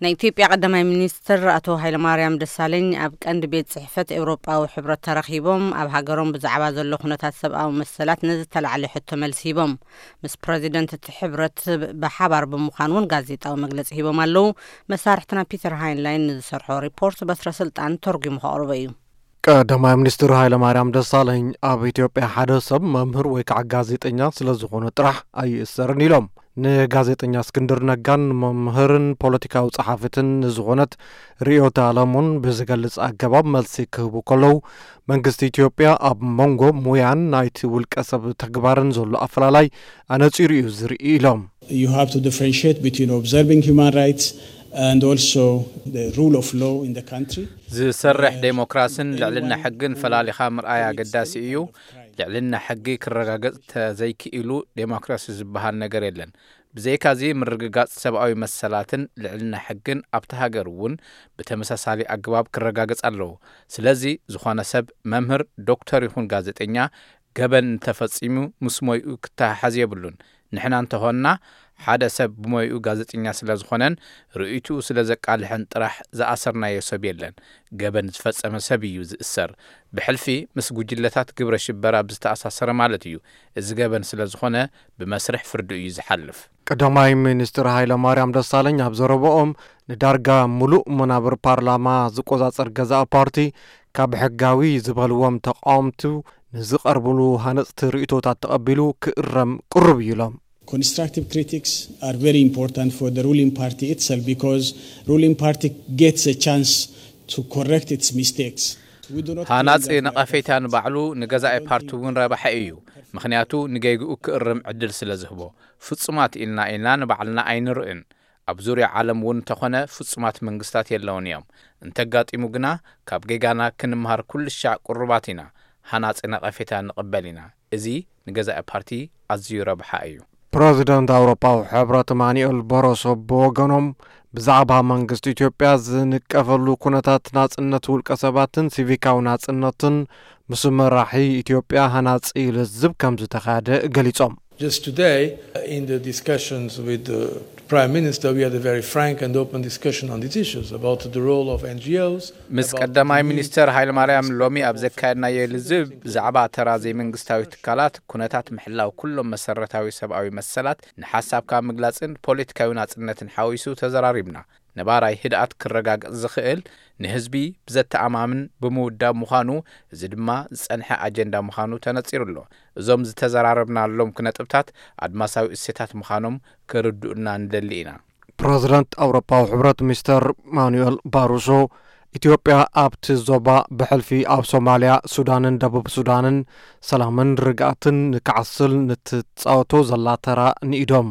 ናይ ኢትዮጵያ ቀዳማይ ሚኒስትር ኣቶ ሃይለማርያም ደሳለኝ ኣብ ቀንዲ ቤት ጽሕፈት ኤውሮጳዊ ሕብረት ተረኺቦም ኣብ ሃገሮም ብዛዕባ ዘሎ ኩነታት ሰብኣዊ መሰላት ንዝተላዕለ ሕቶ መልሲ ሂቦም። ምስ ፕረዚደንት እቲ ሕብረት ብሓባር ብምዃን እውን ጋዜጣዊ መግለጺ ሂቦም ኣለዉ። መሳርሕትና ፒተር ሃይንላይን ንዝሰርሖ ሪፖርት በትረ ስልጣን ተርጒሙ ከቕርቦ እዩ። ቀዳማይ ሚኒስትር ሃይለማርያም ደሳለኝ ኣብ ኢትዮጵያ ሓደ ሰብ መምህር ወይ ከዓ ጋዜጠኛ ስለ ዝኾነ ጥራሕ ኣይእሰርን ኢሎም። ንጋዜጠኛ እስክንድር ነጋን መምህርን ፖለቲካዊ ጸሓፊትን ንዝኾነት ርዕዮተ ዓለሙን ብዝገልጽ ኣገባብ መልሲ ክህቡ ከለዉ፣ መንግስቲ ኢትዮጵያ ኣብ መንጎ ሙያን ናይቲ ውልቀ ሰብ ተግባርን ዘሎ ኣፈላላይ ኣነጺሩ እዩ ዝርኢ ኢሎም። You have to differentiate between observing human rights and also the rule of law in the country. ዝሰርሕ ዴሞክራስን ልዕልና ሕግን ፈላሊኻ ምርኣይ ኣገዳሲ እዩ። ልዕልና ሕጊ ክረጋገጽ ተዘይክኢሉ ዴሞክራሲ ዝበሃል ነገር የለን። ብዘይካዚ ምርግጋጽ ሰብኣዊ መሰላትን ልዕልና ሕግን ኣብቲ ሃገር እውን ብተመሳሳሊ ኣገባብ ክረጋገጽ ኣለዎ። ስለዚ ዝኾነ ሰብ መምህር፣ ዶክተር ይኹን ጋዜጠኛ ገበን እንተፈጺሙ ምስ ሞይኡ ክተሓሓዝ የብሉን። ንሕና እንተኾንና ሓደ ሰብ ብሞይኡ ጋዜጠኛ ስለ ዝኾነን ርእይትኡ ስለ ዘቃልሐን ጥራሕ ዝኣሰርናዮ ሰብ የለን። ገበን ዝፈጸመ ሰብ እዩ ዝእሰር። ብሕልፊ ምስ ጉጅለታት ግብረ ሽበራ ብዝተኣሳሰረ ማለት እዩ። እዚ ገበን ስለ ዝኾነ ብመስርሕ ፍርዲ እዩ ዝሓልፍ። ቀዳማይ ሚኒስትር ሃይለ ማርያም ደሳለኝ ኣብ ዘረበኦም ንዳርጋ ሙሉእ መናብር ፓርላማ ዝቆጻጸር ገዛኢ ፓርቲ ካብ ሕጋዊ ዝበልዎም ተቃወምቱ ንዝቐርብሉ ሃነጽቲ ርእይቶታት ተቐቢሉ ክእረም ቅሩብ እዩ ኢሎም። Constructive critics are very important for the ruling party itself because ruling party gets a chance to correct its mistakes. We do not claim ሃናጺ that we are ነቐፌታ perfect. ንባዕሉ ንገዛኢ ፓርቲ እውን ረባሒ እዩ። ምኽንያቱ ንጌግኡ ክእርም ዕድል ስለ ዝህቦ። ፍጹማት ኢልና ኢልና ንባዕልና ኣይንርእን። ኣብ ዙርያ ዓለም እውን እንተኾነ ፍጹማት መንግስታት የለውን እዮም። እንተጋጢሙ ግና ካብ ጌጋና ክንምሃር ኩሉ ሻዕ ቅሩባት ኢና። ሃናጺ ነቐፌታ ንቕበል ኢና። እዚ ንገዛኢ ፓርቲ ኣዝዩ ረብሓ እዩ። ፕረዚደንት ኣውሮፓዊ ሕብረት ማኑኤል በሮሶ ብወገኖም ብዛዕባ መንግስቲ ኢትዮጵያ ዝንቀፈሉ ኩነታት ናጽነት ውልቀ ሰባትን ሲቪካዊ ናጽነትን ምስ መራሒ ኢትዮጵያ ሃናጺ ልዝብ ከም ዝተኻየደ ገሊጾም። Just today, uh, in the discussions with the Prime Minister, we had a very frank and open discussion on these issues about the role of N G Os, ምስ about ቀዳማይ the need ሚኒስተር ሃይለማርያም ሎሚ ኣብ ዘካየድናዮ ልዝብ ብዛዕባ ተራ ዘይመንግስታዊ ትካላት፣ ኩነታት ምሕላው ኩሎም መሰረታዊ ሰብኣዊ መሰላት ንሓሳብካ ምግላጽን ፖለቲካዊ ናጽነትን ሓዊሱ ተዘራሪብና። ነባራይ ህድኣት ክረጋገጽ ዝኽእል ንህዝቢ ብዘተኣማምን ብምውዳብ ምዃኑ፣ እዚ ድማ ዝጸንሐ ኣጀንዳ ምዃኑ ተነጺሩ ኣሎ። እዞም ዝተዘራረብናሎም ነጥብታት ኣድማሳዊ እሴታት ምዃኖም ክርድኡልና ንደሊ ኢና። ፕረዚደንት ኣውሮፓዊ ሕብረት ሚስተር ማኑኤል ባሩሶ፣ ኢትዮጵያ ኣብቲ ዞባ ብሕልፊ ኣብ ሶማልያ፣ ሱዳንን ደቡብ ሱዳንን ሰላምን ርግኣትን ንክዓስል ንትጻወቶ ዘላ ተራ ንኢዶም።